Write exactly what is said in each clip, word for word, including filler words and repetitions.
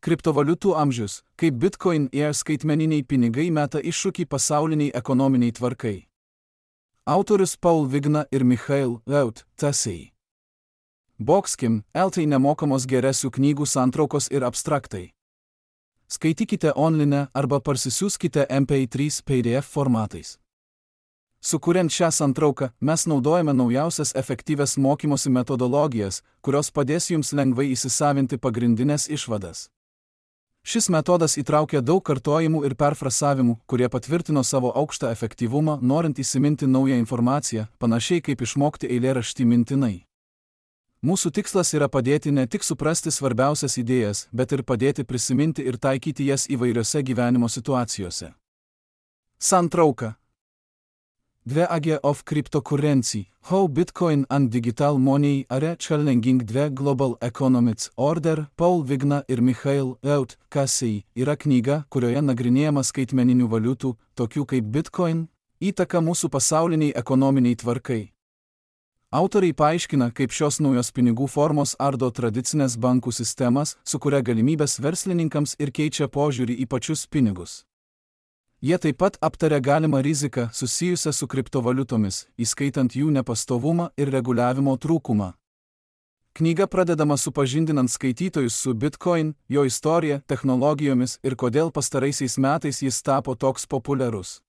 Kriptovaliutų amžius, kaip Bitcoin ir skaitmeniniai pinigai meta iššūkį pasauliniai ekonominiai tvarkai. Autorius Paul Vigna ir Michael Laut, Tasei. Boxkim, eltai nemokamos geresių knygų santraukos ir abstraktai. Skaitykite online arba parsisiųskite M P trys P D F formatais. Sukuriant šią santrauką, mes naudojame naujausias efektyvias mokymosi metodologijas, kurios padės jums lengvai įsisavinti pagrindinės išvadas. Šis metodas įtraukia daug kartojimų ir perfrasavimų, kurie patvirtino savo aukštą efektyvumą, norint įsiminti naują informaciją, panašiai kaip išmokti eilėraštį mintinai. Mūsų tikslas yra padėti ne tik suprasti svarbiausias idėjas, bet ir padėti prisiminti ir taikyti jas įvairiose gyvenimo situacijose. Santrauka. The Age of Cryptocurrency, How Bitcoin and Digital Money Are Challenging the Global Economic Order, Paul Vigna ir Michael Laut, Tasei, yra knyga, kurioje nagrinėjama skaitmeninių valiutų, tokių kaip Bitcoin, įtaka mūsų pasauliniai ekonominiai tvarkai. Autoriai paaiškina, kaip šios naujos pinigų formos ardo tradicinės bankų sistemas, sukuria galimybės verslininkams ir keičia požiūrį į pačius pinigus. Jie taip pat aptaria galimą riziką susijusią su kriptovaliutomis, įskaitant jų nepastovumą ir reguliavimo trūkumą. Knyga pradedama supažindinant skaitytojus su Bitcoin, jo istorija, technologijomis ir kodėl pastaraisiais metais jis tapo toks populiarus.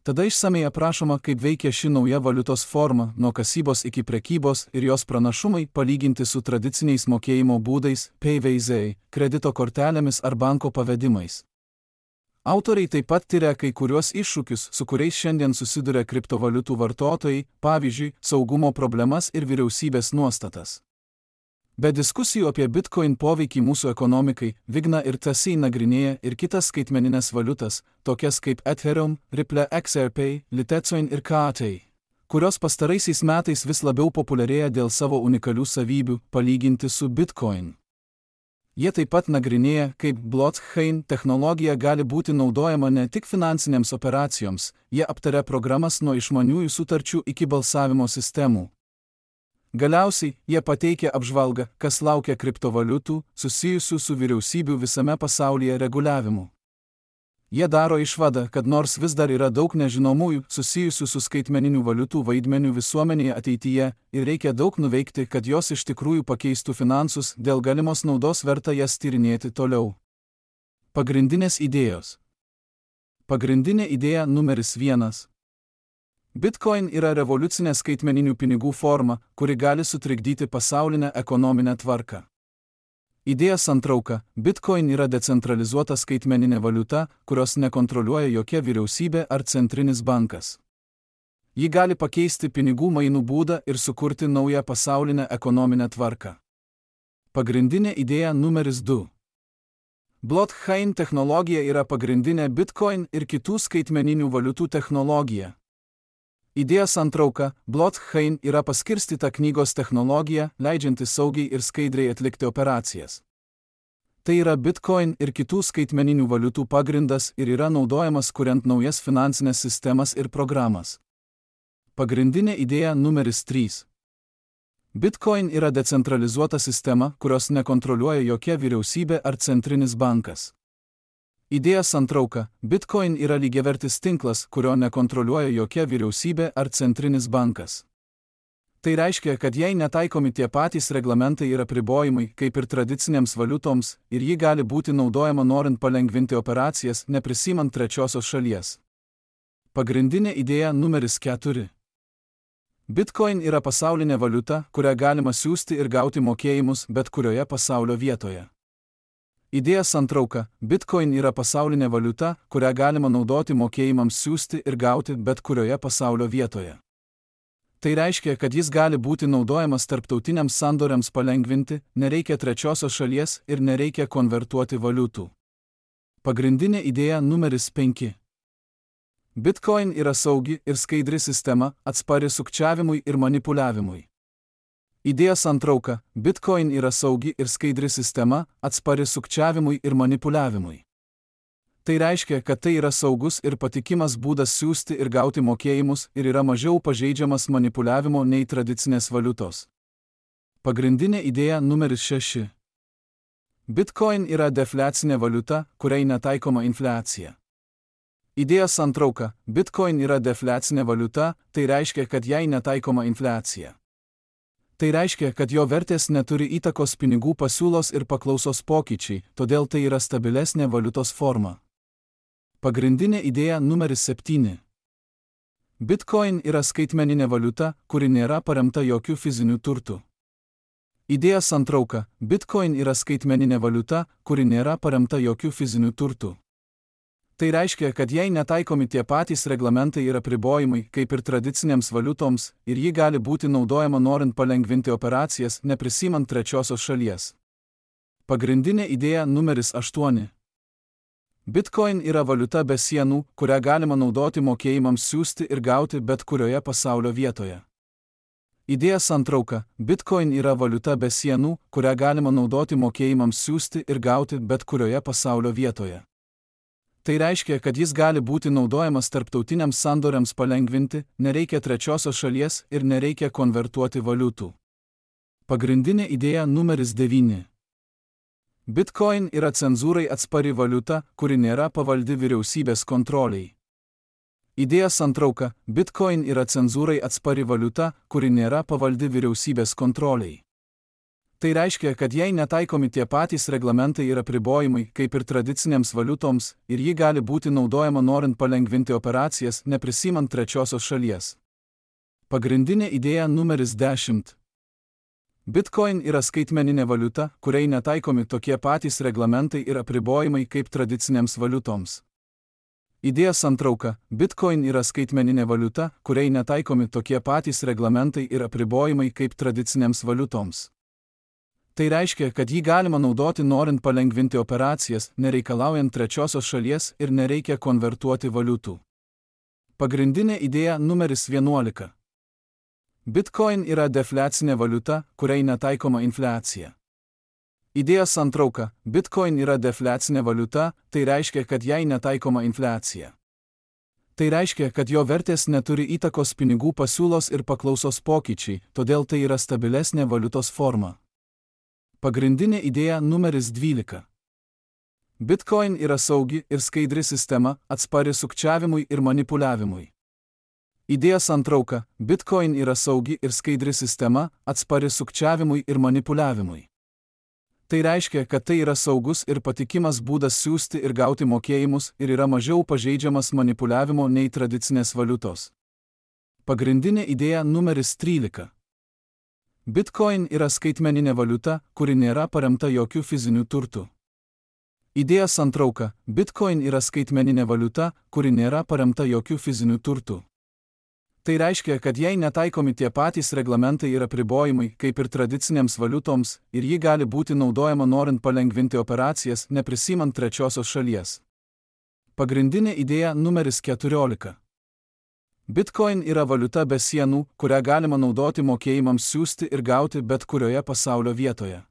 Tada išsamei aprašoma, kaip veikia ši nauja valiutos forma, nuo kasybos iki prekybos ir jos pranašumai palyginti su tradiciniais mokėjimo būdais, P V Z, kredito kortelėmis ar banko pavedimais. Autoriai taip pat tyria kai kuriuos iššūkius, su kuriais šiandien susiduria kriptovaliutų vartotojai, pavyzdžiui, saugumo problemas ir vyriausybės nuostatas. Be diskusijų apie Bitcoin poveikį mūsų ekonomikai, Vigna ir Tasei nagrinėja ir kitas skaitmeninės valiutas, tokias kaip Ethereum, Ripple X R P, Litecoin ir K A T, kurios pastaraisiais metais vis labiau populiarėja dėl savo unikalių savybių, palyginti su Bitcoin. Jie taip pat nagrinėja, kaip blockchain technologija gali būti naudojama ne tik finansinėms operacijoms, jie aptaria programas nuo išmaniųjų sutarčių iki balsavimo sistemų. Galiausiai, jie pateikia apžvalgą, kas laukia kriptovaliutų, susijusių su vyriausybių visame pasaulyje reguliavimu. Jie daro išvadą, kad nors vis dar yra daug nežinomųjų susijusių su skaitmeninių valiutų vaidmeniu visuomenėje ateityje ir reikia daug nuveikti, kad jos iš tikrųjų pakeistų finansus, dėl galimos naudos verta jas tyrinėti toliau. Pagrindinės idėjos. Pagrindinė idėja numeris vienas. Bitcoin yra revoliucinė skaitmeninių pinigų forma, kuri gali sutrikdyti pasaulinę ekonominę tvarką. Idėja santrauka. Bitcoin yra decentralizuota skaitmeninė valiuta, kurios nekontroliuoja jokia vyriausybė ar centrinis bankas. Ji gali pakeisti pinigų mainų būdą ir sukurti naują pasaulinę ekonominę tvarką. Pagrindinė idėja numeris du. Blockchain technologija yra pagrindinė Bitcoin ir kitų skaitmeninių valiutų technologija. Idėja santrauka. Blockchain yra paskirstyta knygos technologija, leidžianti saugiai ir skaidriai atlikti operacijas. Tai yra Bitcoin ir kitų skaitmeninių valiutų pagrindas ir yra naudojamas kuriant naujas finansinės sistemas ir programas. Pagrindinė idėja numeris trys. Bitcoin yra decentralizuota sistema, kurios nekontroliuoja jokia vyriausybė ar centrinis bankas. Idėja santrauka. Bitcoin yra lygiavertis tinklas, kurio nekontroliuoja jokia vyriausybė ar centrinis bankas. Tai reiškia, kad jai netaikomi tie patys reglamentai ir apribojimai, kaip ir tradicinėms valiutoms, ir ji gali būti naudojama norint palengvinti operacijas, neprisimant trečiosios šalies. Pagrindinė idėja numeris keturi. Bitcoin yra pasaulinė valiuta, kurią galima siųsti ir gauti mokėjimus bet kurioje pasaulio vietoje. Idėja santrauka. Bitcoin yra pasaulinė valiuta, kurią galima naudoti mokėjimams siųsti ir gauti bet kurioje pasaulio vietoje. Tai reiškia, kad jis gali būti naudojamas tarptautiniams sandoriams palengvinti, nereikia trečiosios šalies ir nereikia konvertuoti valiutų. Pagrindinė idėja numeris penki. Bitcoin yra saugi ir skaidri sistema, atspari sukčiavimui ir manipuliavimui. Idėja santrauka. Bitcoin yra saugi ir skaidri sistema, atspari sukčiavimui ir manipuliavimui. Tai reiškia, kad tai yra saugus ir patikimas būdas siųsti ir gauti mokėjimus ir yra mažiau pažeidžiamas manipuliavimo nei tradicinės valiutos. Pagrindinė idėja numeris šeši. Bitcoin yra defliacinė valiuta, kuriai netaikoma infliacija. Idėjos santrauka. Bitcoin yra defliacinė valiuta, tai reiškia, kad jai netaikoma infliacija. Tai reiškia, kad jo vertės neturi įtakos pinigų pasiūlos ir paklausos pokyčiai, todėl tai yra stabilesnė valiutos forma. Pagrindinė idėja numeris septyni. Bitcoin yra skaitmeninė valiuta, kuri nėra paremta jokių fizinių turtų. Idėja santrauka. Bitcoin yra skaitmeninė valiuta, kuri nėra paremta jokių fizinių turtų. Tai reiškia, kad jai netaikomi tie patys reglamentai ir apribojimai, kaip ir tradicinėms valiutoms, ir ji gali būti naudojama norint palengvinti operacijas, neprisimant trečiosios šalies. Pagrindinė idėja numeris aštuoni. Bitcoin yra valiuta be sienų, kurią galima naudoti mokėjimams siųsti ir gauti bet kurioje pasaulio vietoje. Idėja santrauka. Bitcoin yra valiuta be sienų, kurią galima naudoti mokėjimams siųsti ir gauti bet kurioje pasaulio vietoje. Tai reiškia, kad jis gali būti naudojamas tarptautiniams sandoriams palengvinti, nereikia trečiosios šalies ir nereikia konvertuoti valiutų. Pagrindinė idėja numeris devyni. Bitcoin yra cenzūrai atspari valiuta, kuri nėra pavaldi vyriausybės kontroliai. Idėja santrauka. Bitcoin yra cenzūrai atspari valiuta, kuri nėra pavaldi vyriausybės kontroliai. Tai reiškia, kad jai netaikomi tie patys reglamentai ir apribojimai, kaip ir tradicinėms valiutoms, ir ji gali būti naudojama norint palengvinti operacijas, neprisimant trečiosios šalies. Pagrindinė idėja numeris dešimt. Bitcoin yra skaitmeninė valiuta, kuriai netaikomi tokie patys reglamentai ir apribojimai kaip tradicinėms valiutoms. Idėja santrauka. Bitcoin yra skaitmeninė valiuta, kuriai netaikomi tokie patys reglamentai ir apribojimai kaip tradicinėms valiutoms. Tai reiškia, kad jį galima naudoti norint palengvinti operacijas, nereikalaujant trečiosios šalies ir nereikia konvertuoti valiutų. Pagrindinė idėja numeris vienuolika. Bitcoin yra defliacinė valiuta, kuriai netaikoma infliacija. Idėja santrauka. Bitcoin yra defliacinė valiuta, tai reiškia, kad jai netaikoma infliacija. Tai reiškia, kad jo vertės neturi įtakos pinigų pasiūlos ir paklausos pokyčiai, todėl tai yra stabilesnė valiutos forma. Pagrindinė idėja numeris dvylika. Bitcoin yra saugi ir skaidri sistema, atspari sukčiavimui ir manipuliavimui. Idėja santrauka. Bitcoin yra saugi ir skaidri sistema, atspari sukčiavimui ir manipuliavimui. Tai reiškia, kad tai yra saugus ir patikimas būdas siųsti ir gauti mokėjimus ir yra mažiau pažeidžiamas manipuliavimo nei tradicinės valiutos. Pagrindinė idėja numeris trylika. Bitcoin yra skaitmeninė valiuta, kuri nėra paremta jokių fizinių turtų. Idėja santrauka. Bitcoin yra skaitmeninė valiuta, kuri nėra paremta jokių fizinių turtų. Tai reiškia, kad jai netaikomi tie patys reglamentai ir apribojimai, kaip ir tradicinėms valiutoms, ir ji gali būti naudojama norint palengvinti operacijas, neprisimant trečiosios šalies. Pagrindinė idėja numeris keturiolika. Bitcoin yra valiuta be sienų, kurią galima naudoti mokėjimams siųsti ir gauti bet kurioje pasaulio vietoje.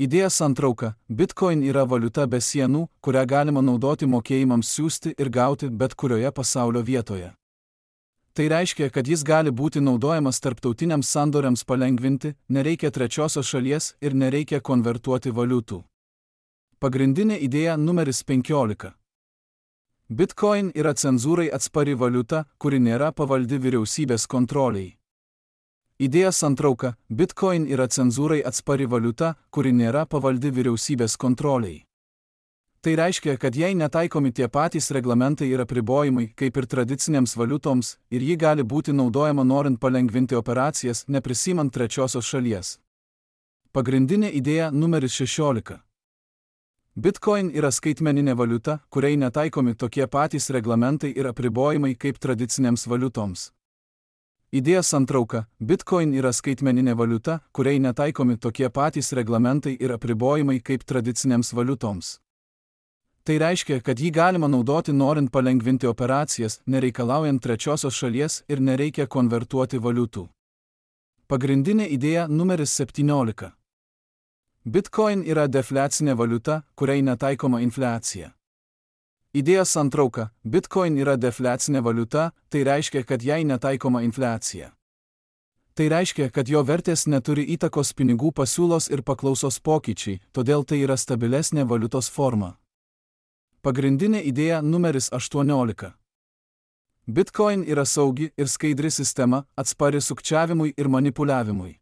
Idėja santrauka. Bitcoin yra valiuta be sienų, kurią galima naudoti mokėjimams siųsti ir gauti bet kurioje pasaulio vietoje. Tai reiškia, kad jis gali būti naudojamas tarptautiniams sandoriams palengvinti, nereikia trečiosios šalies ir nereikia konvertuoti valiutų. Pagrindinė idėja numeris penkiolika. Bitcoin yra cenzūrai atspari valiuta, kuri nėra pavaldi vyriausybės kontroliai. Idėja santrauka. Bitcoin yra cenzūrai atspari valiuta, kuri nėra pavaldi vyriausybės kontroliai. Tai reiškia, kad jai netaikomi tie patys reglamentai ir apribojimai, kaip ir tradicinėms valiutoms, ir ji gali būti naudojama norint palengvinti operacijas, neprisimant trečiosios šalies. Pagrindinė idėja numeris šešiolika. Bitcoin yra skaitmeninė valiuta, kuriai netaikomi tokie patys reglamentai ir apribojimai kaip tradicinėms valiutoms. Idėja santrauka. Bitcoin yra skaitmeninė valiuta, kuriai netaikomi tokie patys reglamentai ir apribojimai kaip tradicinėms valiutoms. Tai reiškia, kad jį galima naudoti norint palengvinti operacijas, nereikalaujant trečiosios šalies ir nereikia konvertuoti valiutų. Pagrindinė idėja numeris septyniolika. Bitcoin yra defliacinė valiuta, kuriai netaikoma infliacija. Idėja santrauka. Bitcoin yra defliacinė valiuta, tai reiškia, kad jai netaikoma infliacija. Tai reiškia, kad jo vertės neturi įtakos pinigų pasiūlos ir paklausos pokyčiai, todėl tai yra stabilesnė valiutos forma. Pagrindinė idėja numeris aštuoniolika. Bitcoin yra saugi ir skaidri sistema, atspari sukčiavimui ir manipuliavimui.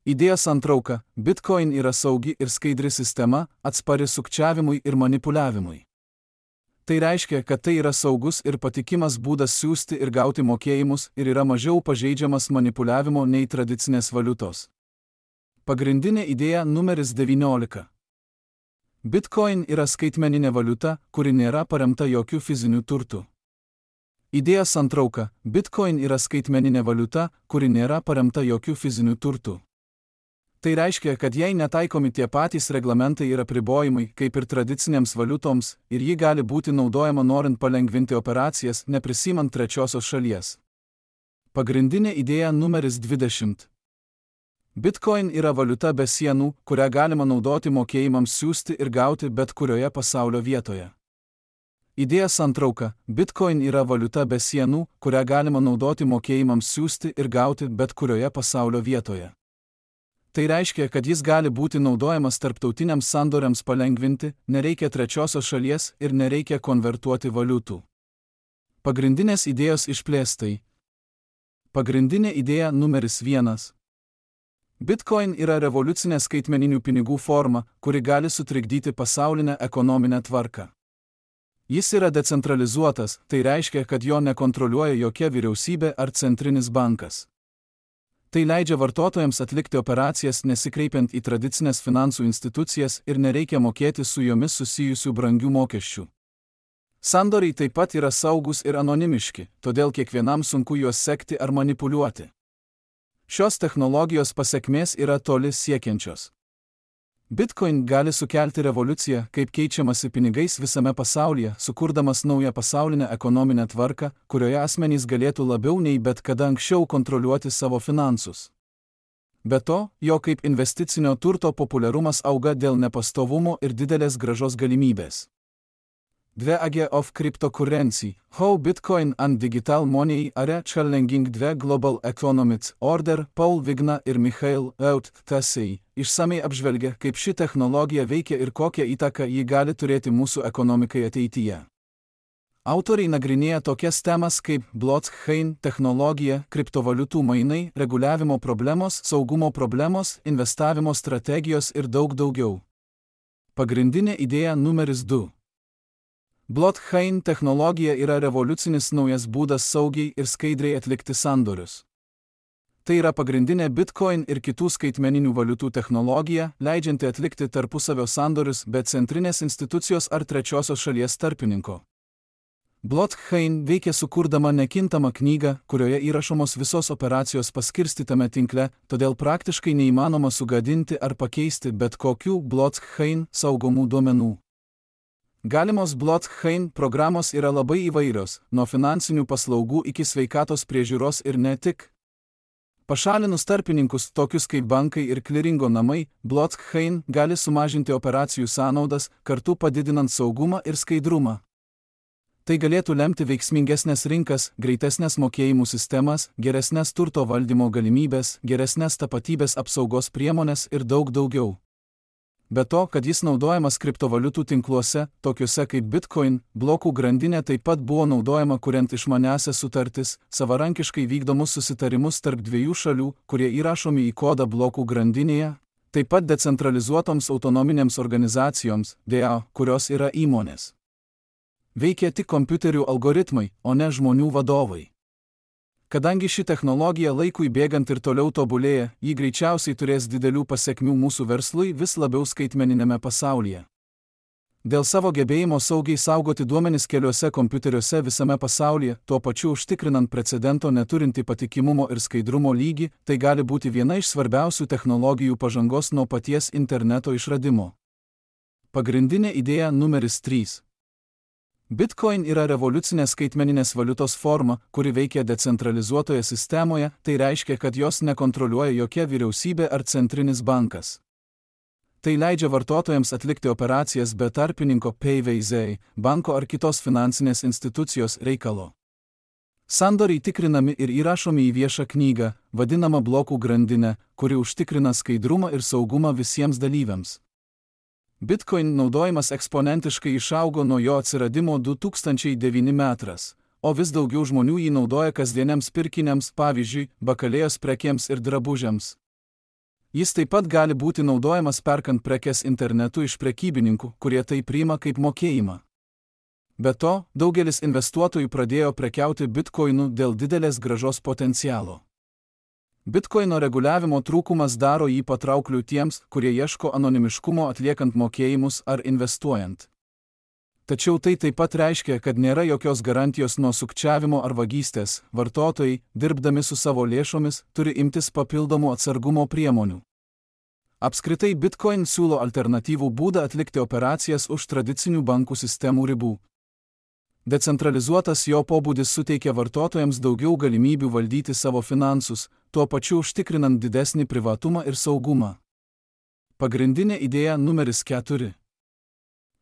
Idėja santrauka. Bitcoin yra saugi ir skaidri sistema, atspari sukčiavimui ir manipuliavimui. Tai reiškia, kad tai yra saugus ir patikimas būdas siųsti ir gauti mokėjimus ir yra mažiau pažeidžiamas manipuliavimo nei tradicinės valiutos. Pagrindinė idėja numeris devyniolika. Bitcoin yra skaitmeninė valiuta, kuri nėra paremta jokių fizinių turtų. Idėja santrauka. Bitcoin yra skaitmeninė valiuta, kuri nėra paremta jokių fizinių turtų. Tai reiškia, kad jai netaikomi tie patys reglamentai ir apribojimai, kaip ir tradicinėms valiutoms, ir ji gali būti naudojama norint palengvinti operacijas, neprisimant trečiosios šalies. Pagrindinė idėja numeris dvidešimt. Bitcoin yra valiuta be sienų, kurią galima naudoti mokėjimams siųsti ir gauti bet kurioje pasaulio vietoje. Idėja santrauka. Bitcoin yra valiuta be sienų, kurią galima naudoti mokėjimams siųsti ir gauti bet kurioje pasaulio vietoje. Tai reiškia, kad jis gali būti naudojamas tarptautiniams sandoriams palengvinti, nereikia trečiosios šalies ir nereikia konvertuoti valiutų. Pagrindinės idėjos išplėstai. Pagrindinė idėja numeris vienas. Bitcoin yra revoliucinė skaitmeninių pinigų forma, kuri gali sutrikdyti pasaulinę ekonominę tvarką. Jis yra decentralizuotas, tai reiškia, kad jo nekontroliuoja jokia vyriausybė ar centrinis bankas. Tai leidžia vartotojams atlikti operacijas nesikreipiant į tradicinės finansų institucijas ir nereikia mokėti su jomis susijusių brangių mokesčių. Sandoriai taip pat yra saugus ir anonimiški, todėl kiekvienam sunku juos sekti ar manipuliuoti. Šios technologijos pasekmės yra toli siekiančios. Bitcoin gali sukelti revoliuciją, kaip keičiamasi pinigais visame pasaulyje, sukurdamas naują pasaulinę ekonominę tvarką, kurioje asmenys galėtų labiau nei bet kada anksčiau kontroliuoti savo finansus. Be to, jo kaip investicinio turto populiarumas auga dėl nepastovumo ir didelės grąžos galimybės. The Age of Cryptocurrency, How Bitcoin and Digital Money Are Challenging the Global Economic Order, Paul Vigna ir Michael Out Tasei išsamei apžvelgia, kaip ši technologija veikia ir kokią įtaką ji gali turėti mūsų ekonomikai ateityje. Autoriai nagrinėja tokias temas kaip blockchain technologija, kriptovaliutų mainai, reguliavimo problemos, saugumo problemos, investavimo strategijos ir daug daugiau. Pagrindinė idėja numeris du. Blockchain technologija yra revoliucinis naujas būdas saugiai ir skaidriai atlikti sandorius. Tai yra pagrindinė Bitcoin ir kitų skaitmeninių valiutų technologija, leidžianti atlikti tarpusavio sandorius be centrinės institucijos ar trečiosios šalies tarpininko. Blockchain veikia sukurdama nekintamą knygą, kurioje įrašomos visos operacijos paskirstytame tinkle, todėl praktiškai neįmanoma sugadinti ar pakeisti bet kokių blockchain saugomų duomenų. Galimos blockchain programos yra labai įvairios, nuo finansinių paslaugų iki sveikatos priežiūros ir ne tik. Pašalinus tarpininkus tokius kaip bankai ir kliringo namai, blockchain gali sumažinti operacijų sąnaudas, kartu padidinant saugumą ir skaidrumą. Tai galėtų lemti veiksmingesnės rinkas, greitesnės mokėjimų sistemas, geresnės turto valdymo galimybės, geresnės tapatybės apsaugos priemonės ir daug daugiau. Be to, kad jis naudojamas kriptovaliutų tinkluose, tokiuose kaip Bitcoin, blokų grandinė taip pat buvo naudojama kuriant išmaniąsias sutartis, savarankiškai vykdomus susitarimus tarp dviejų šalių, kurie įrašomi į kodą blokų grandinėje, taip pat decentralizuotoms autonominėms organizacijoms, D A O, kurios yra įmonės. Veikia tik kompiuterių algoritmai, o ne žmonių vadovai. Kadangi ši technologija laikui bėgant ir toliau tobulėja, ji greičiausiai turės didelių pasekmių mūsų verslui vis labiau skaitmeninėme pasaulyje. Dėl savo gebėjimo saugiai saugoti duomenis keliuose kompiuteriuose visame pasaulyje, tuo pačiu užtikrinant precedento neturintį patikimumo ir skaidrumo lygį, tai gali būti viena iš svarbiausių technologijų pažangos nuo paties interneto išradimo. Pagrindinė idėja numeris trys. Bitcoin yra revoliucinė skaitmeninės valiutos forma, kuri veikia decentralizuotoje sistemoje, tai reiškia, kad jos nekontroliuoja jokia vyriausybė ar centrinis bankas. Tai leidžia vartotojams atlikti operacijas be tarpininko P V Z, banko ar kitos finansinės institucijos reikalo. Sandoriai tikrinami ir įrašomi į viešą knygą, vadinamą blokų grandinę, kuri užtikrina skaidrumą ir saugumą visiems dalyviams. Bitcoin naudojimas eksponentiškai išaugo nuo jo atsiradimo du tūkstančiai devinti metais, o vis daugiau žmonių jį naudoja kasdieniams pirkiniams, pavyzdžiui, bakalėjos prekėms ir drabužiams. Jis taip pat gali būti naudojamas perkant prekes internetu iš prekybininkų, kurie tai priima kaip mokėjimą. Be to, daugelis investuotojų pradėjo prekiauti bitkoinu dėl didelės grąžos potencialo. Bitkoino reguliavimo trūkumas daro jį patraukliu tiems, kurie ieško anonimiškumo atliekant mokėjimus ar investuojant. Tačiau tai taip pat reiškia, kad nėra jokios garantijos nuo sukčiavimo ar vagystės. Vartotojai, dirbdami su savo lėšomis, turi imtis papildomų atsargumo priemonių. Apskritai Bitcoin siūlo alternatyvų būdą atlikti operacijas už tradicinių bankų sistemų ribų. Decentralizuotas jo pobūdis suteikia vartotojams daugiau galimybių valdyti savo finansus, tuo pačiu užtikrinant didesnį privatumą ir saugumą. Pagrindinė idėja numeris keturi.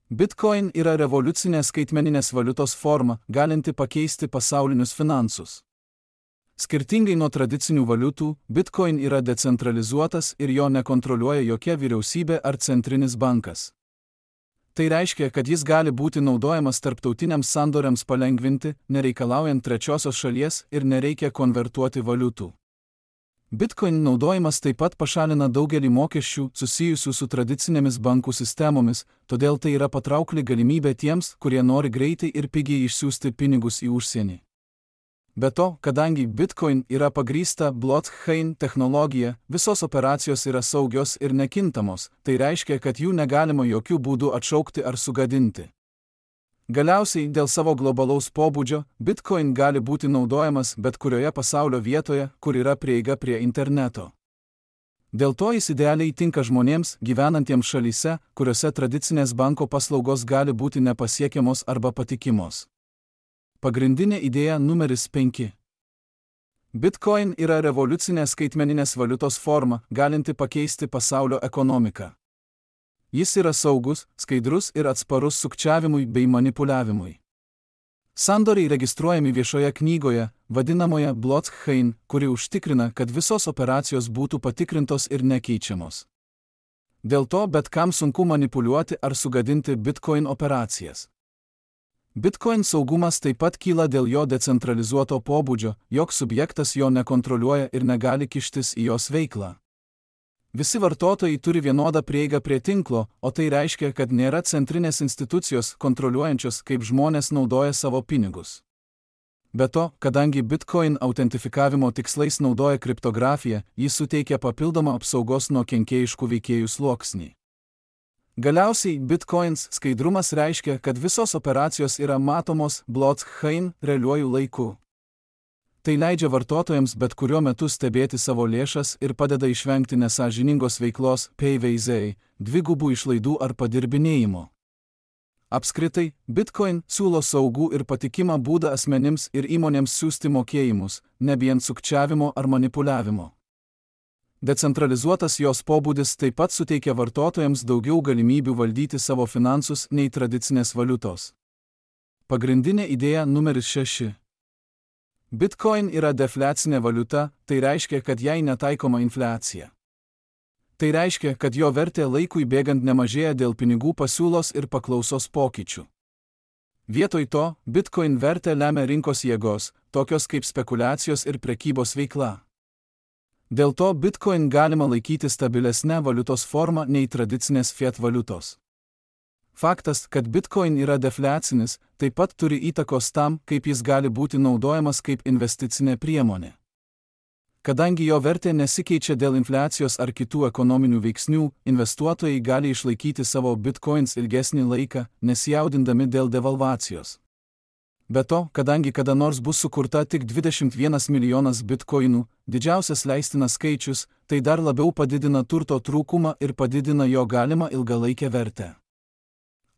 Bitcoin yra revoliucinė skaitmeninės valiutos forma, galinti pakeisti pasaulinius finansus. Skirtingai nuo tradicinių valiutų, Bitcoin yra decentralizuotas ir jo nekontroliuoja jokia vyriausybė ar centrinis bankas. Tai reiškia, kad jis gali būti naudojamas tarptautiniams sandoriams palengvinti, nereikalaujant trečiosios šalies ir nereikia konvertuoti valiutų. Bitcoin naudojimas taip pat pašalina daugelį mokesčių susijusių su tradicinėmis bankų sistemomis, todėl tai yra patraukli galimybė tiems, kurie nori greitai ir pigiai išsiųsti pinigus į užsienį. Be to, kadangi Bitcoin yra pagrįsta blockchain technologija, visos operacijos yra saugios ir nekintamos, tai reiškia, kad jų negalima jokių būdų atšaukti ar sugadinti. Galiausiai, dėl savo globalaus pobūdžio, Bitcoin gali būti naudojamas bet kurioje pasaulio vietoje, kur yra prieiga prie interneto. Dėl to jis idealiai tinka žmonėms, gyvenantiems šalyse, kuriuose tradicinės banko paslaugos gali būti nepasiekiamos arba patikimos. Pagrindinė idėja numeris penki. Bitcoin yra revoliucinė skaitmeninės valiutos forma, galinti pakeisti pasaulio ekonomiką. Jis yra saugus, skaidrus ir atsparus sukčiavimui bei manipuliavimui. Sandoriai registruojami viešoje knygoje, vadinamoje blockchain, kuri užtikrina, kad visos operacijos būtų patikrintos ir nekeičiamos. Dėl to bet kam sunku manipuliuoti ar sugadinti Bitcoin operacijas. Bitcoin saugumas taip pat kyla dėl jo decentralizuoto pobūdžio, joks subjektas jo nekontroliuoja ir negali kištis į jos veiklą. Visi vartotojai turi vienodą prieigą prie tinklo, o tai reiškia, kad nėra centrinės institucijos kontroliuojančios, kaip žmonės naudoja savo pinigus. Be to, kadangi Bitcoin autentifikavimo tikslais naudoja kriptografiją, jis suteikia papildomą apsaugos nuo kenkėjiškų veikėjų sluoksnį. Galiausiai Bitcoins skaidrumas reiškia, kad visos operacijos yra matomos blockchain realiuoju laiku. Tai leidžia vartotojams bet kuriuo metu stebėti savo lėšas ir padeda išvengti nesąžiningos veiklos P V Z, dvigubų išlaidų ar padirbinėjimo. Apskritai, Bitcoin siūlo saugų ir patikimą būdą asmenims ir įmonėms siųsti mokėjimus, nebijant sukčiavimo ar manipuliavimo. Decentralizuotas jos pobūdis taip pat suteikia vartotojams daugiau galimybių valdyti savo finansus nei tradicinės valiutos. Pagrindinė idėja numeris šeši. Bitcoin yra defliacinė valiuta, tai reiškia, kad jai netaikoma infliacija. Tai reiškia, kad jo vertė laikui bėgant nemažėja dėl pinigų pasiūlos ir paklausos pokyčių. Vietoj to, Bitcoin vertę lemia rinkos jėgos, tokios kaip spekulacijos ir prekybos veikla. Dėl to Bitcoin galima laikyti stabilesnę valiutos formą nei tradicinės fiat valiutos. Faktas, kad Bitcoin yra defliacinis, taip pat turi įtakos tam, kaip jis gali būti naudojamas kaip investicinė priemonė. Kadangi jo vertė nesikeičia dėl infliacijos ar kitų ekonominių veiksnių, investuotojai gali išlaikyti savo Bitcoins ilgesnį laiką, nesijaudindami dėl devalvacijos. Be to, kadangi kada nors bus sukurta tik dvidešimt vienas milijonas bitkoinų, didžiausias leistinas skaičius, tai dar labiau padidina turto trūkumą ir padidina jo galimą ilgalaikę vertę.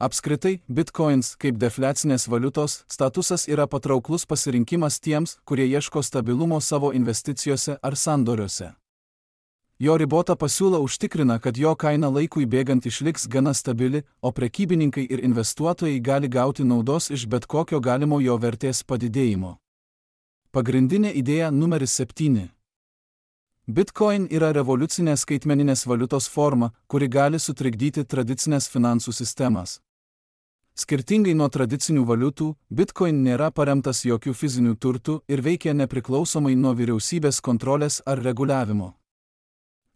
Apskritai, bitcoins kaip defliacinės valiutos statusas yra patrauklus pasirinkimas tiems, kurie ieško stabilumo savo investicijose ar sandoriuose. Jo ribota pasiūla užtikrina, kad jo kaina laikui bėgant išliks gana stabili, o prekybininkai ir investuotojai gali gauti naudos iš bet kokio galimo jo vertės padidėjimo. Pagrindinė idėja numeris septyni. Bitcoin yra revoliucinė skaitmeninės valiutos forma, kuri gali sutrikdyti tradicinės finansų sistemas. Skirtingai nuo tradicinių valiutų, Bitcoin nėra paremtas jokių fizinių turtų ir veikia nepriklausomai nuo vyriausybės kontrolės ar reguliavimo.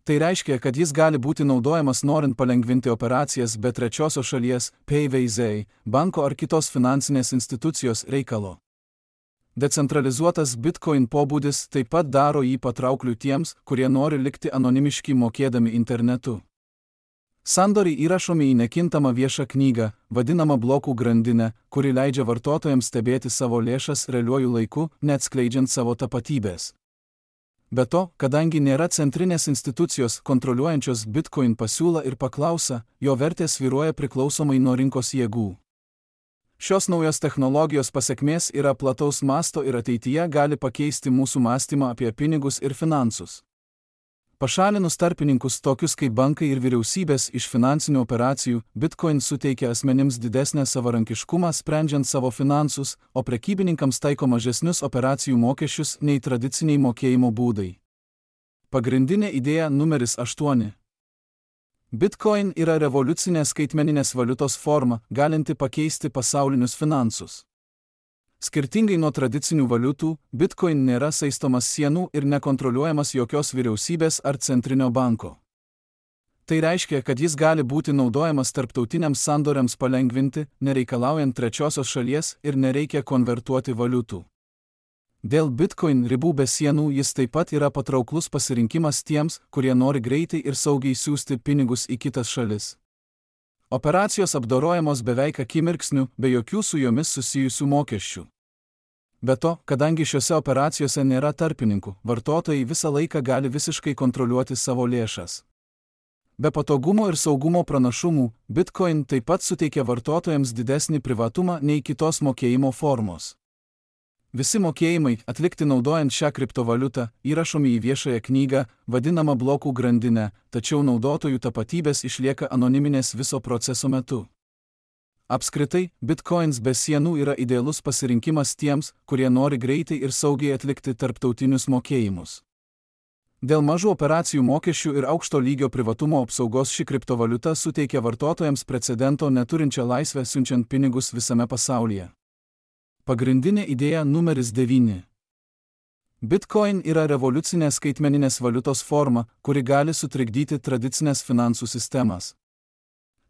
Tai reiškia, kad jis gali būti naudojamas norint palengvinti operacijas be trečiosios šalies, P V Z, banko ar kitos finansinės institucijos reikalo. Decentralizuotas Bitcoin pobūdis taip pat daro jį patraukliu tiems, kurie nori likti anonimiški mokėdami internetu. Sandoriai įrašomi į nekintamą viešą knygą, vadinamą blokų grandinę, kuri leidžia vartotojams stebėti savo lėšas realiuoju laiku, neatskleidžiant savo tapatybės. Be to, kadangi nėra centrinės institucijos kontroliuojančios Bitcoin pasiūlą ir paklausą, jo vertė svyruoja priklausomai nuo rinkos jėgų. Šios naujos technologijos pasekmės yra plataus masto ir ateityje gali pakeisti mūsų mąstymą apie pinigus ir finansus. Pašalinus tarpininkus tokius kaip bankai ir vyriausybės iš finansinių operacijų, Bitcoin suteikia asmenims didesnę savarankiškumą sprendžiant savo finansus, o prekybininkams taiko mažesnius operacijų mokesčius nei tradiciniai mokėjimo būdai. Pagrindinė idėja numeris aštuoni. Bitcoin yra revoliucinė skaitmeninės valiutos forma, galinti pakeisti pasaulinius finansus. Skirtingai nuo tradicinių valiutų, Bitcoin nėra saistomas sienų ir nekontroliuojamas jokios vyriausybės ar centrinio banko. Tai reiškia, kad jis gali būti naudojamas tarptautiniams sandoriams palengvinti, nereikalaujant trečiosios šalies ir nereikia konvertuoti valiutų. Dėl Bitcoin ribų be sienų jis taip pat yra patrauklus pasirinkimas tiems, kurie nori greitai ir saugiai siųsti pinigus į kitas šalis. Operacijos apdorojamos beveik akimirksniu, be jokių su jomis susijusių mokesčių. Be to, kadangi šiuose operacijose nėra tarpininkų, vartotojai visą laiką gali visiškai kontroliuoti savo lėšas. Be patogumo ir saugumo pranašumų, Bitcoin taip pat suteikia vartotojams didesnį privatumą nei kitos mokėjimo formos. Visi mokėjimai, atlikti naudojant šią kriptovaliutą, įrašomi į viešąją knygą, vadinamą blokų grandinę, tačiau naudotojų tapatybės išlieka anoniminės viso proceso metu. Apskritai, Bitcoins be sienų yra idealus pasirinkimas tiems, kurie nori greitai ir saugiai atlikti tarptautinius mokėjimus. Dėl mažų operacijų mokesčių ir aukšto lygio privatumo apsaugos ši kriptovaliuta suteikia vartotojams precedento neturinčią laisvę siunčiant pinigus visame pasaulyje. Pagrindinė idėja numeris devyni. Bitcoin yra revoliucinė skaitmeninės valiutos forma, kuri gali sutrikdyti tradicinės finansų sistemas.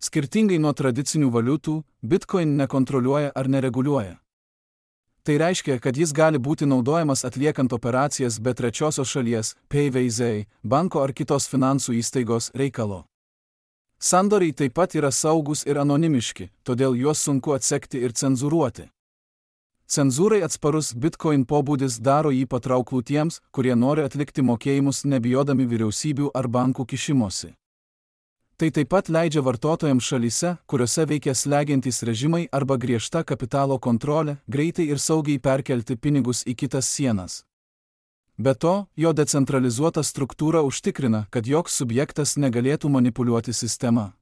Skirtingai nuo tradicinių valiutų, Bitcoin nekontroliuoja ar nereguliuoja. Tai reiškia, kad jis gali būti naudojamas atliekant operacijas be trečiosios šalies, P V Z, banko ar kitos finansų įstaigos reikalo. Sandoriai taip pat yra saugus ir anonimiški, todėl juos sunku atsekti ir cenzūruoti. Cenzūrai atsparus Bitcoin pobūdis daro jį patrauklų tiems, kurie nori atlikti mokėjimus nebijodami vyriausybių ar bankų kišimosi. Tai taip pat leidžia vartotojams šalyse, kuriuose veikia slegiantys režimai arba griežta kapitalo kontrolė, greitai ir saugiai perkelti pinigus į kitas sienas. Be to, jo decentralizuota struktūra užtikrina, kad joks subjektas negalėtų manipuliuoti sistema.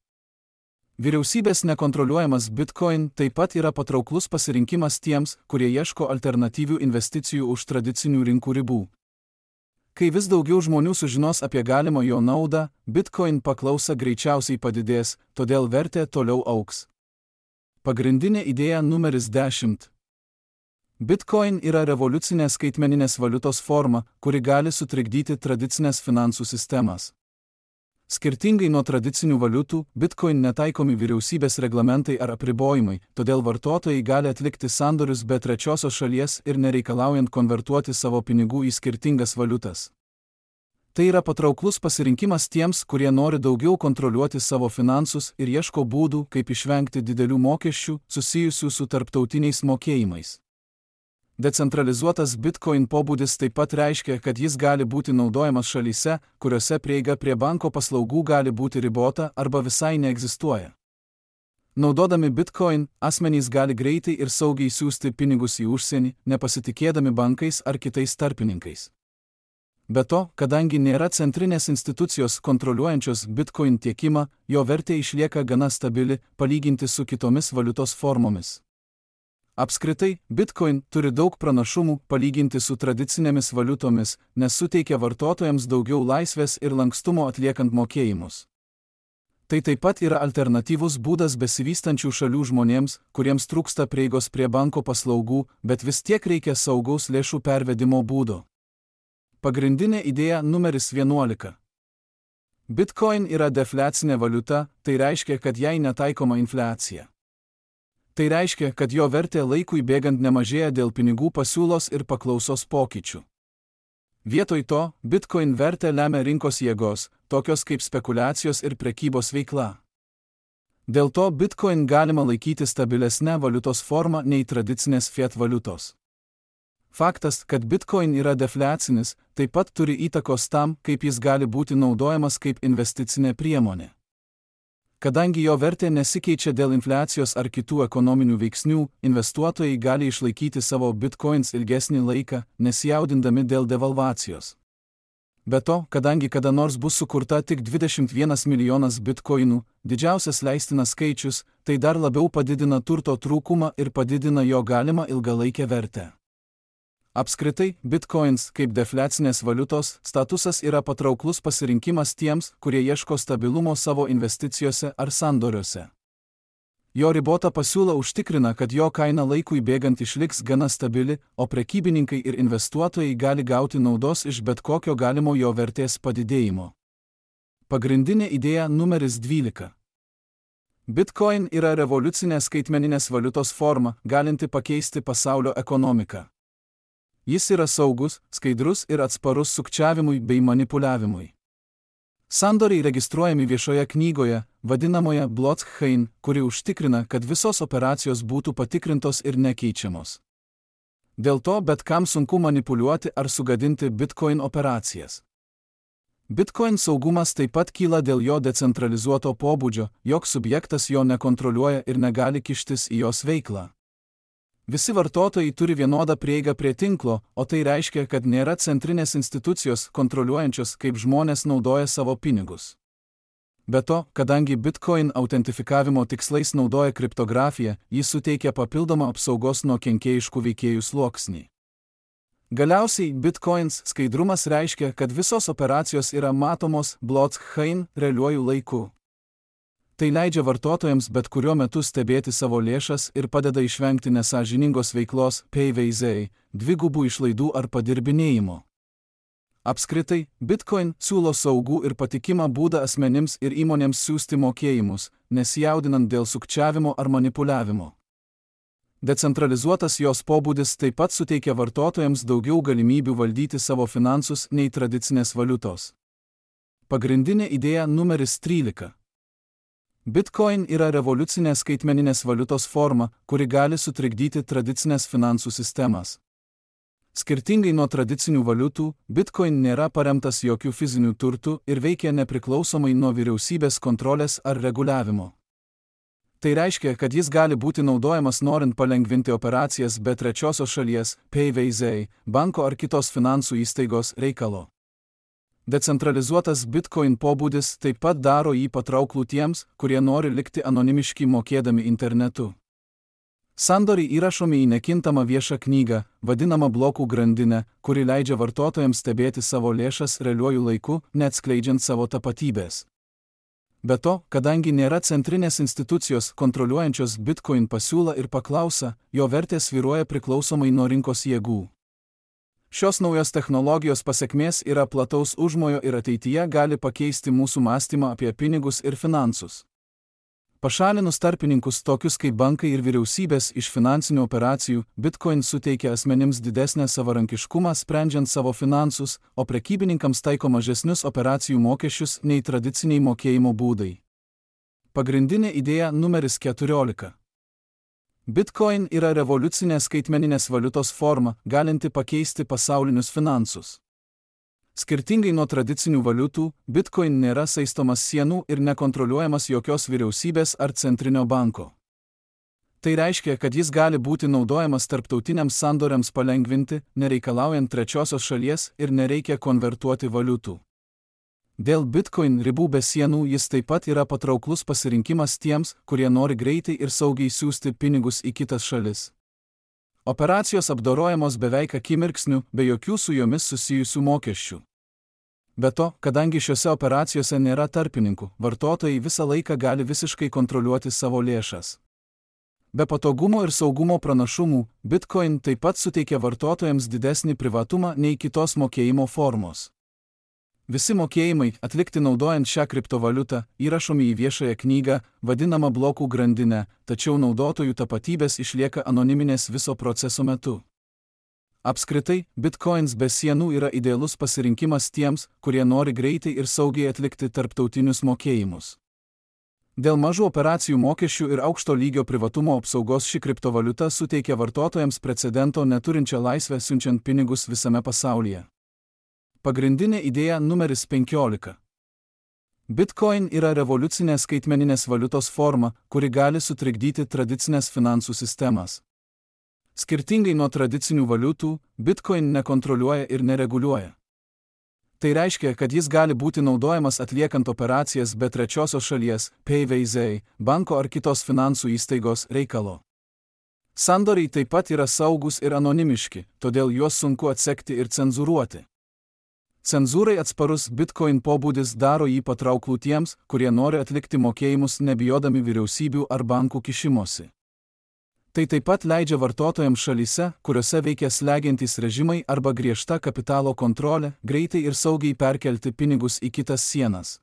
Vyriausybės nekontroliuojamas Bitcoin taip pat yra patrauklus pasirinkimas tiems, kurie ieško alternatyvių investicijų už tradicinių rinkų ribų. Kai vis daugiau žmonių sužinos apie galimą jo naudą, Bitcoin paklausa greičiausiai padidės, todėl vertė toliau augs. Pagrindinė idėja numeris dešimt. Bitcoin yra revoliucinė skaitmeninės valiutos forma, kuri gali sutrikdyti tradicinės finansų sistemas. Skirtingai nuo tradicinių valiutų, Bitcoin netaikomi vyriausybės reglamentai ar apribojimai, todėl vartotojai gali atlikti sandorius be trečiosios šalies ir nereikalaujant konvertuoti savo pinigų į skirtingas valiutas. Tai yra patrauklus pasirinkimas tiems, kurie nori daugiau kontroliuoti savo finansus ir ieško būdų, kaip išvengti didelių mokesčių susijusių su tarptautiniais mokėjimais. Decentralizuotas Bitcoin pobūdis taip pat reiškia, kad jis gali būti naudojamas šalyse, kuriuose prieiga prie banko paslaugų gali būti ribota arba visai neegzistuoja. Naudodami Bitcoin, asmenys gali greitai ir saugiai siųsti pinigus į užsienį, nepasitikėdami bankais ar kitais tarpininkais. Be to, kadangi nėra centrinės institucijos kontroliuojančios Bitcoin tiekimą, jo vertė išlieka gana stabili, palyginti su kitomis valiutos formomis. Apskritai, Bitcoin turi daug pranašumų palyginti su tradicinėmis valiutomis, nes suteikia vartotojams daugiau laisvės ir lankstumo atliekant mokėjimus. Tai taip pat yra alternatyvus būdas besivystančių šalių žmonėms, kuriems trūksta prieigos prie banko paslaugų, bet vis tiek reikia saugaus lėšų pervedimo būdo. Pagrindinė idėja numeris vienuolika. Bitcoin yra defliacinė valiuta, tai reiškia, kad jai netaikoma infliacija. Tai reiškia, kad jo vertė laikui bėgant nemažėja dėl pinigų pasiūlos ir paklausos pokyčių. Vietoj to, Bitcoin vertę lemia rinkos jėgos, tokios kaip spekulacijos ir prekybos veikla. Dėl to Bitcoin galima laikyti stabilesnę valiutos formą nei tradicinės fiat valiutos. Faktas, kad Bitcoin yra defliacinis, taip pat turi įtakos tam, kaip jis gali būti naudojamas kaip investicinė priemonė. Kadangi jo vertė nesikeičia dėl infliacijos ar kitų ekonominių veiksnių, investuotojai gali išlaikyti savo bitcoins ilgesnį laiką, nesijaudindami dėl devalvacijos. Be to, kadangi kada nors bus sukurta tik dvidešimt vienas milijonas bitcoinų, didžiausias leistinas skaičius, tai dar labiau padidina turto trūkumą ir padidina jo galimą ilgalaikę vertę. Apskritai, bitcoins, kaip defliacinės valiutos, statusas yra patrauklus pasirinkimas tiems, kurie ieško stabilumo savo investicijose ar sandoriuose. Jo ribota pasiūla užtikrina, kad jo kaina laikui bėgant išliks gana stabili, o prekybininkai ir investuotojai gali gauti naudos iš bet kokio galimo jo vertės padidėjimo. Pagrindinė idėja numeris dvylika. Bitcoin yra revoliucinė skaitmeninės valiutos forma, galinti pakeisti pasaulio ekonomiką. Jis yra saugus, skaidrus ir atsparus sukčiavimui bei manipuliavimui. Sandoriai registruojami viešoje knygoje, vadinamoje blockchain, kuri užtikrina, kad visos operacijos būtų patikrintos ir nekeičiamos. Dėl to bet kam sunku manipuliuoti ar sugadinti Bitcoin operacijas. Bitcoin saugumas taip pat kyla dėl jo decentralizuoto pobūdžio, joks subjektas jo nekontroliuoja ir negali kištis į jos veiklą. Visi vartotojai turi vienodą prieigą prie tinklo, o tai reiškia, kad nėra centrinės institucijos kontroliuojančios, kaip žmonės naudoja savo pinigus. Be to, kadangi Bitcoin autentifikavimo tikslais naudoja kriptografiją, jis suteikia papildomą apsaugos nuo kenkėjiškų veikėjų sluoksnį. Galiausiai, Bitcoins skaidrumas reiškia, kad visos operacijos yra matomos blockchain realiuoju laiku. Tai leidžia vartotojams bet kuriuo metu stebėti savo lėšas ir padeda išvengti nesąžiningos veiklos, P V Z, dvigubų išlaidų ar padirbinėjimo. Apskritai, Bitcoin siūlo saugų ir patikimą būdą asmenims ir įmonėms siųsti mokėjimus, nesijaudinant dėl sukčiavimo ar manipuliavimo. Decentralizuotas jos pobūdis taip pat suteikia vartotojams daugiau galimybių valdyti savo finansus nei tradicinės valiutos. Pagrindinė idėja numeris trylika. Bitcoin yra revoliucinė skaitmeninės valiutos forma, kuri gali sutrikdyti tradicinės finansų sistemas. Skirtingai nuo tradicinių valiutų, Bitcoin nėra paremtas jokių fizinių turtų ir veikia nepriklausomai nuo vyriausybės kontrolės ar reguliavimo. Tai reiškia, kad jis gali būti naudojamas norint palengvinti operacijas be trečiosios šalies, P V Z, banko ar kitos finansų įstaigos reikalo. Decentralizuotas Bitcoin pobūdis taip pat daro jį patrauklų tiems, kurie nori likti anonimiški mokėdami internetu. Sandoriai įrašomi į nekintamą viešą knygą, vadinamą blokų grandinę, kuri leidžia vartotojams stebėti savo lėšas realiuoju laiku, neatskleidžiant savo tapatybės. Be to, kadangi nėra centrinės institucijos kontroliuojančios Bitcoin pasiūlą ir paklausą, jo vertė svyruoja priklausomai nuo rinkos jėgų. Šios naujos technologijos pasekmės yra plataus užmojo ir ateityje gali pakeisti mūsų mąstymą apie pinigus ir finansus. Pašalinus tarpininkus tokius kaip bankai ir vyriausybės iš finansinių operacijų, Bitcoin suteikia asmenims didesnę savarankiškumą sprendžiant savo finansus, o prekybininkams taiko mažesnius operacijų mokesčius nei tradiciniai mokėjimo būdai. Pagrindinė idėja numeris keturiolika. Bitcoin yra revoliucinė skaitmeninės valiutos forma, galinti pakeisti pasaulinius finansus. Skirtingai nuo tradicinių valiutų, Bitcoin nėra saistomas sienų ir nekontroliuojamas jokios vyriausybės ar centrinio banko. Tai reiškia, kad jis gali būti naudojamas tarptautiniams sandoriams palengvinti, nereikalaujant trečiosios šalies ir nereikia konvertuoti valiutų. Dėl Bitcoin ribų be sienų jis taip pat yra patrauklus pasirinkimas tiems, kurie nori greitai ir saugiai siųsti pinigus į kitas šalis. Operacijos apdorojamos beveik akimirksniu, be jokių su jomis susijusių mokesčių. Be to, kadangi šiuose operacijose nėra tarpininkų, vartotojai visą laiką gali visiškai kontroliuoti savo lėšas. Be patogumo ir saugumo pranašumų, Bitcoin taip pat suteikia vartotojams didesnį privatumą nei kitos mokėjimo formos. Visi mokėjimai, atlikti naudojant šią kriptovaliutą, įrašomi į viešąją knygą, vadinamą blokų grandinę, tačiau naudotojų tapatybės išlieka anoniminės viso proceso metu. Apskritai, Bitcoins be sienų yra idealus pasirinkimas tiems, kurie nori greitai ir saugiai atlikti tarptautinius mokėjimus. Dėl mažų operacijų mokesčių ir aukšto lygio privatumo apsaugos ši kriptovaliuta suteikia vartotojams precedento neturinčią laisvę siunčiant pinigus visame pasaulyje. Pagrindinė idėja numeris penkiolika. Bitcoin yra revoliucinė skaitmeninės valiutos forma, kuri gali sutrikdyti tradicinės finansų sistemas. Skirtingai nuo tradicinių valiutų, Bitcoin nekontroliuoja ir nereguliuoja. Tai reiškia, kad jis gali būti naudojamas atliekant operacijas be trečiosios šalies, P V Z, banko ar kitos finansų įstaigos reikalo. Sandoriai taip pat yra saugus ir anonimiški, todėl juos sunku atsekti ir cenzūruoti. Cenzūrai atsparus Bitcoin pobūdis daro jį patrauklų tiems, kurie nori atlikti mokėjimus nebijodami vyriausybių ar bankų kišimosi. Tai taip pat leidžia vartotojams šalyse, kuriuose veikia slegiantys režimai arba griežta kapitalo kontrolė, greitai ir saugiai perkelti pinigus į kitas sienas.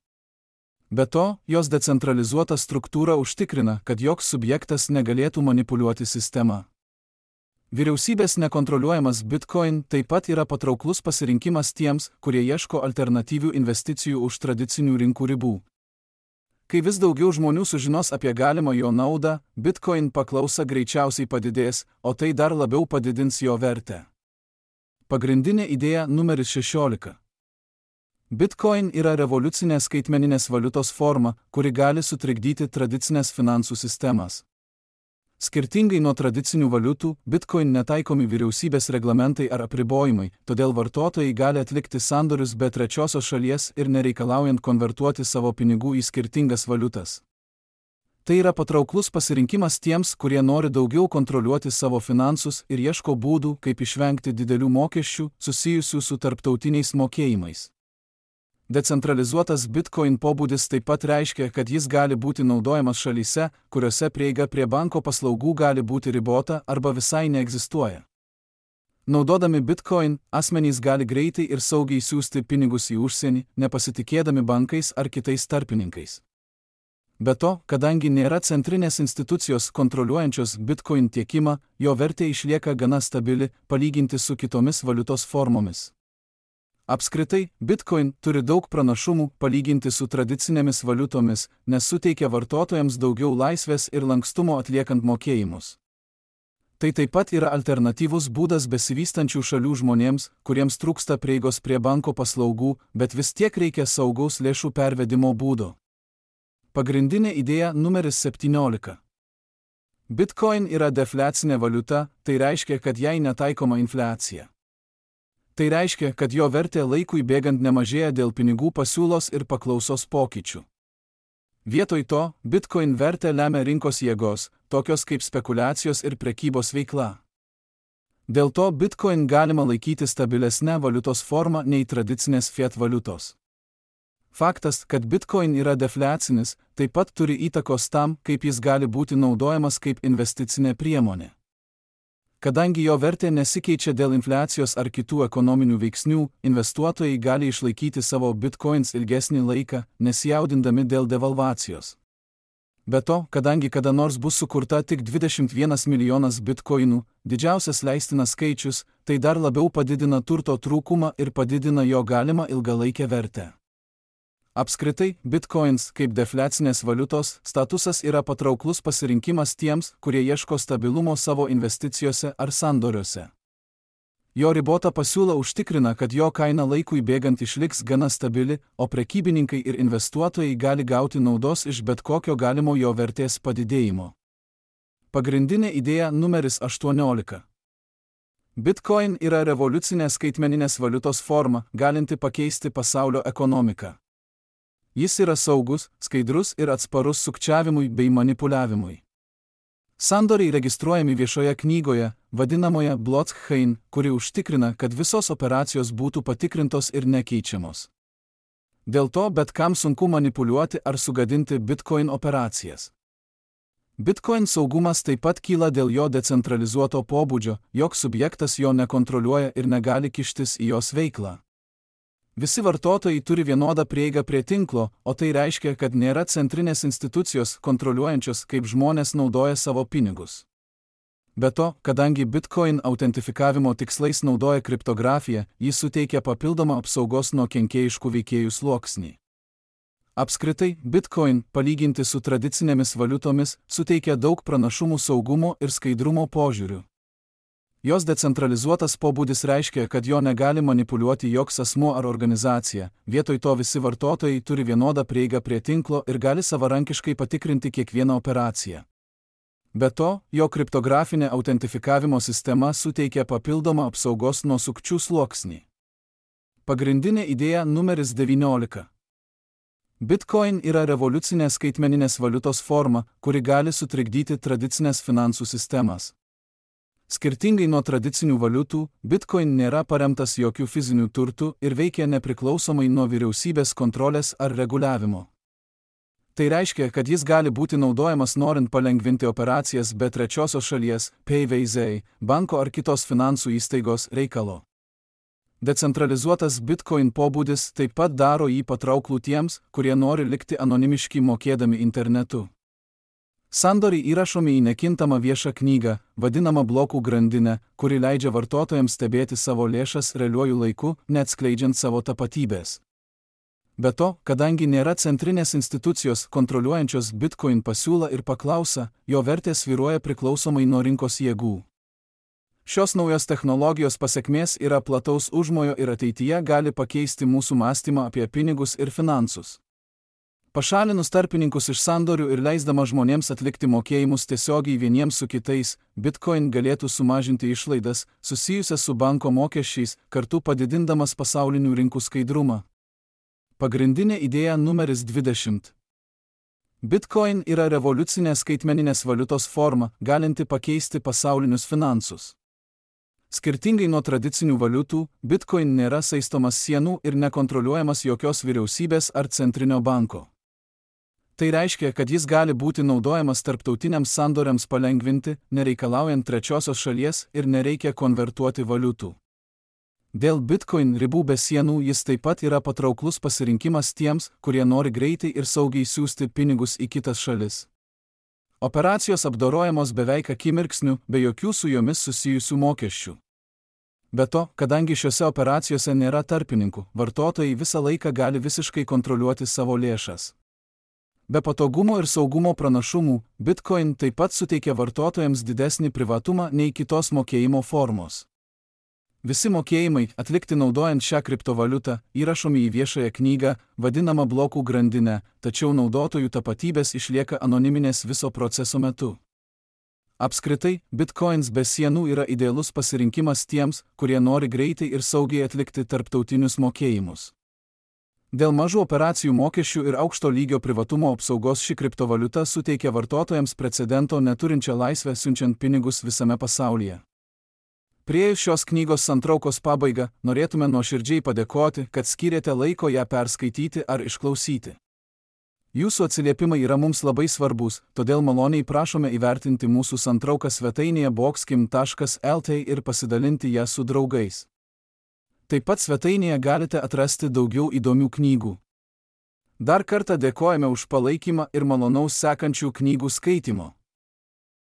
Be to, jos decentralizuota struktūra užtikrina, kad joks subjektas negalėtų manipuliuoti sistemą. Vyriausybės nekontroliuojamas Bitcoin taip pat yra patrauklus pasirinkimas tiems, kurie ieško alternatyvių investicijų už tradicinių rinkų ribų. Kai vis daugiau žmonių sužinos apie galimą jo naudą, Bitcoin paklausa greičiausiai padidės, o tai dar labiau padidins jo vertę. Pagrindinė idėja numeris šešiolika. Bitcoin yra revoliucinė skaitmeninės valiutos forma, kuri gali sutrikdyti tradicinės finansų sistemas. Skirtingai nuo tradicinių valiutų, Bitcoin netaikomi vyriausybės reglamentai ar apribojimai, todėl vartotojai gali atlikti sandorius be trečiosios šalies ir nereikalaujant konvertuoti savo pinigų į skirtingas valiutas. Tai yra patrauklus pasirinkimas tiems, kurie nori daugiau kontroliuoti savo finansus ir ieško būdų, kaip išvengti didelių mokesčių susijusių su tarptautiniais mokėjimais. Decentralizuotas Bitcoin pobūdis taip pat reiškia, kad jis gali būti naudojamas šalyse, kuriuose prieiga prie banko paslaugų gali būti ribota arba visai neegzistuoja. Naudodami Bitcoin, asmenys gali greitai ir saugiai siųsti pinigus į užsienį, nepasitikėdami bankais ar kitais tarpininkais. Be to, kadangi nėra centrinės institucijos kontroliuojančios Bitcoin tiekimą, jo vertė išlieka gana stabili, palyginti su kitomis valiutos formomis. Apskritai, Bitcoin turi daug pranašumų palyginti su tradicinėmis valiutomis, nes suteikia vartotojams daugiau laisvės ir lankstumo atliekant mokėjimus. Tai taip pat yra alternatyvus būdas besivystančių šalių žmonėms, kuriems trūksta prieigos prie banko paslaugų, bet vis tiek reikia saugaus lėšų pervedimo būdo. Pagrindinė idėja numeris septyniolika. Bitcoin yra defliacinė valiuta, tai reiškia, kad jai netaikoma infliacija. Tai reiškia, kad jo vertė laikui bėgant nemažėja dėl pinigų pasiūlos ir paklausos pokyčių. Vietoj to, Bitcoin vertę lemia rinkos jėgos, tokios kaip spekulacijos ir prekybos veikla. Dėl to Bitcoin galima laikyti stabilesnę valiutos formą nei tradicinės fiat valiutos. Faktas, kad Bitcoin yra defliacinis, taip pat turi įtakos tam, kaip jis gali būti naudojamas kaip investicinė priemonė. Kadangi jo vertė nesikeičia dėl infliacijos ar kitų ekonominių veiksnių, investuotojai gali išlaikyti savo bitcoins ilgesnį laiką, nesijaudindami dėl devalvacijos. Be to, kadangi kada nors bus sukurta tik dvidešimt vienas milijonas bitcoinų, didžiausias leistinas skaičius, tai dar labiau padidina turto trūkumą ir padidina jo galimą ilgalaikę vertę. Apskritai, Bitcoins, kaip defliacinės valiutos, statusas yra patrauklus pasirinkimas tiems, kurie ieško stabilumo savo investicijose ar sandoriuose. Jo ribota pasiūla užtikrina, kad jo kaina laikui bėgant išliks gana stabili, o prekybininkai ir investuotojai gali gauti naudos iš bet kokio galimo jo vertės padidėjimo. Pagrindinė idėja numeris aštuoniolika. Bitcoin yra revoliucinė skaitmeninės valiutos forma, galinti pakeisti pasaulio ekonomiką. Jis yra saugus, skaidrus ir atsparus sukčiavimui bei manipuliavimui. Sandoriai registruojami viešoje knygoje, vadinamoje blockchain, kuri užtikrina, kad visos operacijos būtų patikrintos ir nekeičiamos. Dėl to bet kam sunku manipuliuoti ar sugadinti Bitcoin operacijas. Bitcoin saugumas taip pat kyla dėl jo decentralizuoto pobūdžio, joks subjektas jo nekontroliuoja ir negali kištis į jos veiklą. Visi vartotojai turi vienodą prieigą prie tinklo, o tai reiškia, kad nėra centrinės institucijos kontroliuojančios, kaip žmonės naudoja savo pinigus. Be to, kadangi Bitcoin autentifikavimo tikslais naudoja kriptografiją, jis suteikia papildomą apsaugos nuo kenkėjiškų veikėjų sluoksnį. Apskritai, Bitcoin, palyginti su tradicinėmis valiutomis, suteikia daug pranašumų saugumo ir skaidrumo požiūrių. Jos decentralizuotas pobūdis reiškia, kad jo negali manipuliuoti joks asmuo ar organizacija, vietoj to visi vartotojai turi vienodą prieigą prie tinklo ir gali savarankiškai patikrinti kiekvieną operaciją. Be to, jo kriptografinė autentifikavimo sistema suteikia papildomą apsaugos nuo sukčių sluoksnį. Pagrindinė idėja numeris devyniolika. Bitcoin yra revoliucinė skaitmeninės valiutos forma, kuri gali sutrikdyti tradicinės finansų sistemas. Skirtingai nuo tradicinių valiutų, Bitcoin nėra paremtas jokių fizinių turtų ir veikia nepriklausomai nuo vyriausybės kontrolės ar reguliavimo. Tai reiškia, kad jis gali būti naudojamas norint palengvinti operacijas be trečiosios šalies, P V Z, banko ar kitos finansų įstaigos reikalo. Decentralizuotas Bitcoin pobūdis taip pat daro jį patrauklų tiems, kurie nori likti anonimiški mokėdami internetu. Sandoriai įrašomi į nekintamą viešą knygą, vadinamą blokų grandinę, kuri leidžia vartotojams stebėti savo lėšas realiuoju laiku, neatskleidžiant savo tapatybės. Be to, kadangi nėra centrinės institucijos kontroliuojančios Bitcoin pasiūlą ir paklausą, jo vertė svyruoja priklausomai nuo rinkos jėgų. Šios naujos technologijos pasekmės yra plataus užmojo ir ateityje gali pakeisti mūsų mąstymą apie pinigus ir finansus. Pašalinus tarpininkus iš sandorių ir leisdama žmonėms atlikti mokėjimus tiesiogiai vieniems su kitais, Bitcoin galėtų sumažinti išlaidas susijusias su banko mokesčiais, kartu padidindamas pasaulinių rinkų skaidrumą. Pagrindinė idėja numeris dvidešimt. Bitcoin yra revoliucinė skaitmeninės valiutos forma, galinti pakeisti pasaulinius finansus. Skirtingai nuo tradicinių valiutų, Bitcoin nėra saistomas sienų ir nekontroliuojamas jokios vyriausybės ar centrinio banko. Tai reiškia, kad jis gali būti naudojamas tarptautiniams sandoriams palengvinti, nereikalaujant trečiosios šalies ir nereikia konvertuoti valiutų. Dėl Bitcoin ribų be sienų jis taip pat yra patrauklus pasirinkimas tiems, kurie nori greitai ir saugiai siųsti pinigus į kitas šalis. Operacijos apdorojamos beveik akimirksniu, be jokių su jomis susijusių mokesčių. Be to, kadangi šiuose operacijose nėra tarpininkų, vartotojai visą laiką gali visiškai kontroliuoti savo lėšas. Be patogumo ir saugumo pranašumų, Bitcoin taip pat suteikia vartotojams didesnį privatumą nei kitos mokėjimo formos. Visi mokėjimai, atlikti naudojant šią kriptovaliutą, įrašomi į viešąją knygą, vadinamą blokų grandinę, tačiau naudotojų tapatybės išlieka anoniminės viso proceso metu. Apskritai, Bitcoins be sienų yra idealus pasirinkimas tiems, kurie nori greitai ir saugiai atlikti tarptautinius mokėjimus. Dėl mažų operacijų mokesčių ir aukšto lygio privatumo apsaugos ši kriptovaliuta suteikia vartotojams precedento neturinčią laisvę siunčiant pinigus visame pasaulyje. Priėjus šios knygos santraukos pabaigą, norėtume nuoširdžiai padėkoti, kad skyrėte laiko ją perskaityti ar išklausyti. Jūsų atsiliepimai yra mums labai svarbus, todėl maloniai prašome įvertinti mūsų santrauką svetainėje boxkim taškas el t ir pasidalinti ją su draugais. Taip pat svetainėje galite atrasti daugiau įdomių knygų. Dar kartą dėkojame už palaikymą ir malonaus sekančių knygų skaitimo.